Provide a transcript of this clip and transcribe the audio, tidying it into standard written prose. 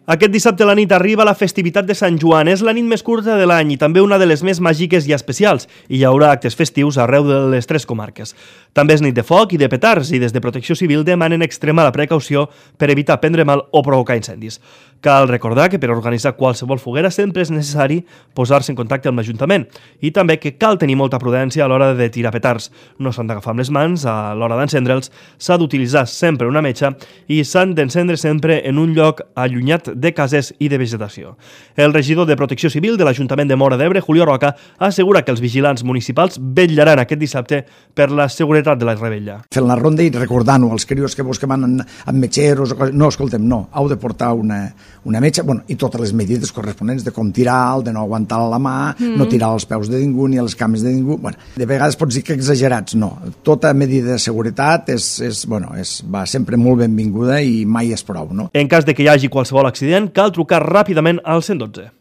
Aquest dissabte a la nit arriba la festivitat de Sant Joan. És la nit més curta de l'any i també una de les més màgiques i especials. I hi haurà actes festius arreu de les 3 comarques. També és nit de foc i de petards i des de Protecció Civil demanen extremar la precaució per evitar prendre mal o provocar incendis. Cal recordar que per organitzar qualsevol foguera sempre és necessari posar-se en contacte amb l'Ajuntament i també que cal tenir molta prudència a l'hora de tirar petards. No s'han d'agafar amb les mans a l'hora d'encendre'ls, s'ha d'utilitzar sempre una metxa i s'han d'encendre sempre en un lloc allunyat de cases i de vegetació. El regidor de Protecció Civil de l'Ajuntament de Móra d'Ebre, Julio Roca, assegura que els vigilants municipals vetllaran aquest dissabte per la seguretat de la rebella. Fent la ronda i recordant-ho als crios que vos que van amb metgeros, no, escoltem, no, heu de portar una metxa, bueno, i totes les medides corresponents de com tirar, de no aguantar la mà, no tirar als peus de ningú ni a les cames de ningú. Bueno, de vegades pots dir que exagerats, no. Tota medida de seguretat va sempre molt benvinguda i mai és prou, no? En cas de que hi hagi qualsevol accident, cal trucar ràpidament al 112.